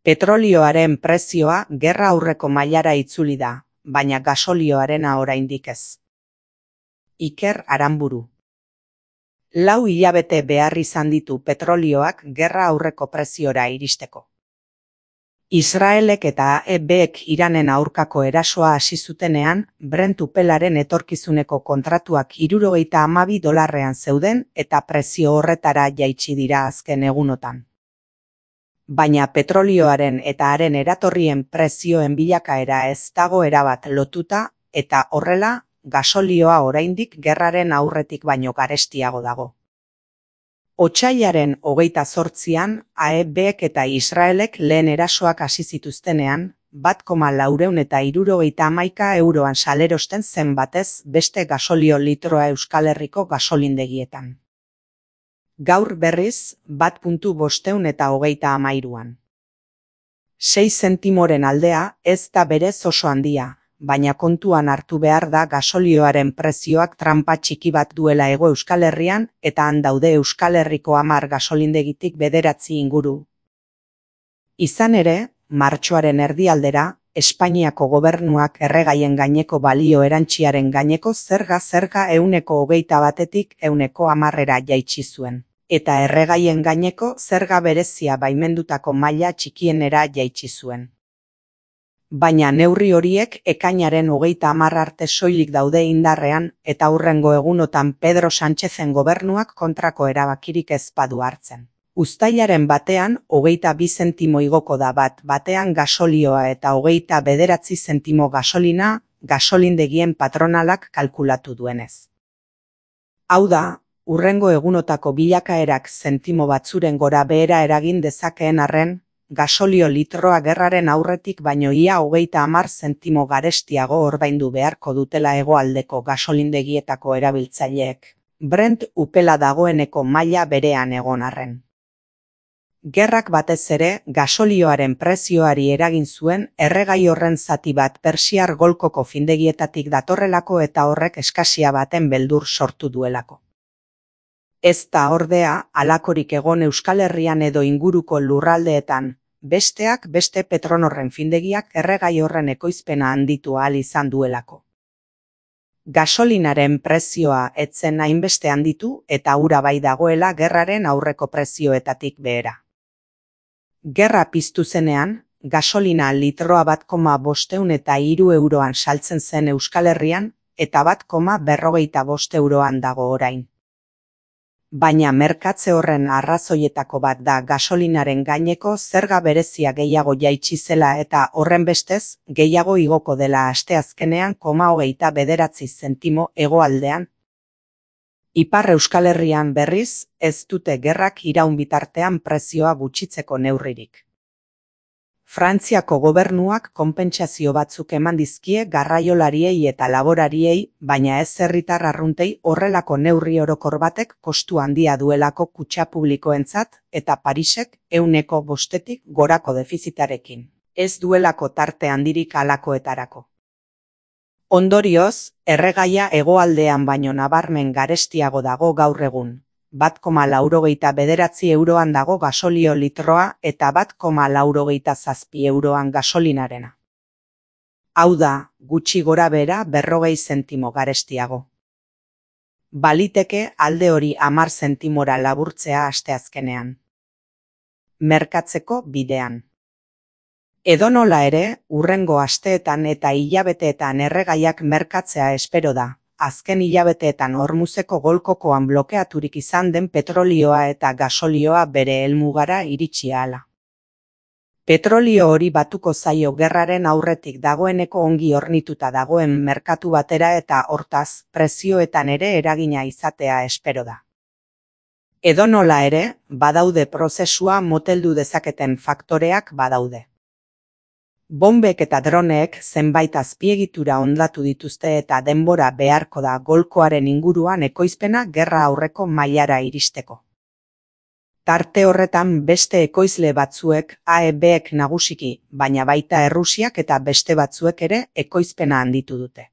Petrolioaren prezioa gerra aurreko mailara itzuli da, baina gasolioarena oraindik ez. Iker Aranburu. 4 hilabete behar izan ditu petrolioak gerra aurreko preziora iristeko. Israelek eta AEBek Iranen aurkako erasoa hasi zutenean, Brent upelaren etorkizuneko kontratuak $62 zeuden eta prezio horretara jaitsi dira azken egunotan. Baina petrolioaren eta haren eratorrien prezioen bilakaera ez dago erabat lotuta eta horrela, gasolioa oraindik gerraren aurretik baino garestiago dago. Otsailaren 28an, AEBek eta Israelek lehen erasoak hasi zituztenean, €1,471 salerosten zen batez beste gasolio litroa Euskal Herriko gasolindegietan. Gaur berriz, €1,523an. 6 zentimoren aldea ez da berez oso handia, baina kontuan hartu behar da gasolioaren prezioak tranpa txiki bat duela Hego Euskal Herrian eta han daude Euskal Herriko 10 gasolindegitik 9 inguru. Izan ere, martxoaren erdialdera, Espainiako gobernuak erregaien gaineko balio erantsiaren gaineko zerga €121tik €110 jaitsi zuen, eta erregaien gaineko zerga berezia baimendutako maila txikienera jaitsi zuen. Baina neurri horiek ekainaren 30 arte soilik daude indarrean eta hurrengo egunotan Pedro Sánchezen gobernuak kontrako erabakirik ez badu hartzen. Uztailaren batean 22 zentimo igoko da batean gasolioa eta 29 zentimo gasolina, gasolindegien patronalak kalkulatu duenez. Hau da, hurrengo egunotako bilakaerak zentimo batzuren gora behera eragin dezakeen arren, gasolio litroa gerraren aurretik baino ia 30 zentimo garestiago ordaindu beharko dutela hegoaldeko gasolindegietako erabiltzaileek, Brent upela dagoeneko maila berean egon arren. Gerrak batez ere gasolioaren prezioari eragin zuen erregai horren zati bat Persiar Golkoko findegietatik datorrelako eta horrek eskasia baten beldur sortu duelako. Ez da ordea halakorik egon Euskal Herrian edo inguruko lurraldeetan, besteak beste Petronorren findegiak erregai horren ekoizpena handitu ahal izan duelako. Gasolinaren prezioa ez zen hainbeste handitu eta hura bai dagoela gerraren aurreko prezioetatik behera. Gerra piztu zenean, gasolina litroa €1,503 saltzen zen Euskal Herrian eta €1,45 dago orain. Baina merkatze horren arrazoietako bat da gasolinaren gaineko zerga berezia gehiago jaitsi zela eta horrenbestez gehiago igoko dela asteazkenean €0,29 zentimo hegoaldean. Ipar Euskal Herrian berriz, ez dute gerrak iraun bitartean prezioa gutxitzeko neurririk. Frantziako gobernuak konpentsazio batzuk eman dizkie garraiolariei eta laborariei, baina ez herritar arruntei horrelako neurri orokor batek kostu handia duelako kutxa publikoentzat eta Parisek 5%tik gorako defizitarekin. Ez duelako tarte handirik halakoetarako. Ondorioz, erregaia hegoaldean baino nabarmen garestiago dago gaur egun. €1,89 dago gasolio litroa eta €1,97 gasolinarena. Hau da, gutxi gora behera 40 zentimo garestiago. Baliteke alde hori 10 zentimora laburtzea asteazkenean. Merkatzeko bidean. Edonola ere, hurrengo asteetan eta hilabeteetan erregaiak merkatzea espero da. Azken hilabeteetan Hormuzeko golkokoan blokeaturik izan den petrolioa eta gasolioa bere helmugara iritsi ahala. Petrolio hori batuko zaio gerraren aurretik dagoeneko ongi hornituta dagoen merkatu batera eta hortaz, prezioetan ere eragina izatea espero da. Edonola ere, badaude prozesua moteldu dezaketen faktoreak badaude. Bonbek eta droneek zenbait azpiegitura hondatu dituzte eta denbora beharko da golkoaren inguruan ekoizpena gerra aurreko mailara iristeko. Tarte horretan beste ekoizle batzuek AEBek nagusiki, baina baita Errusiak eta beste batzuek ere ekoizpena handitu dute.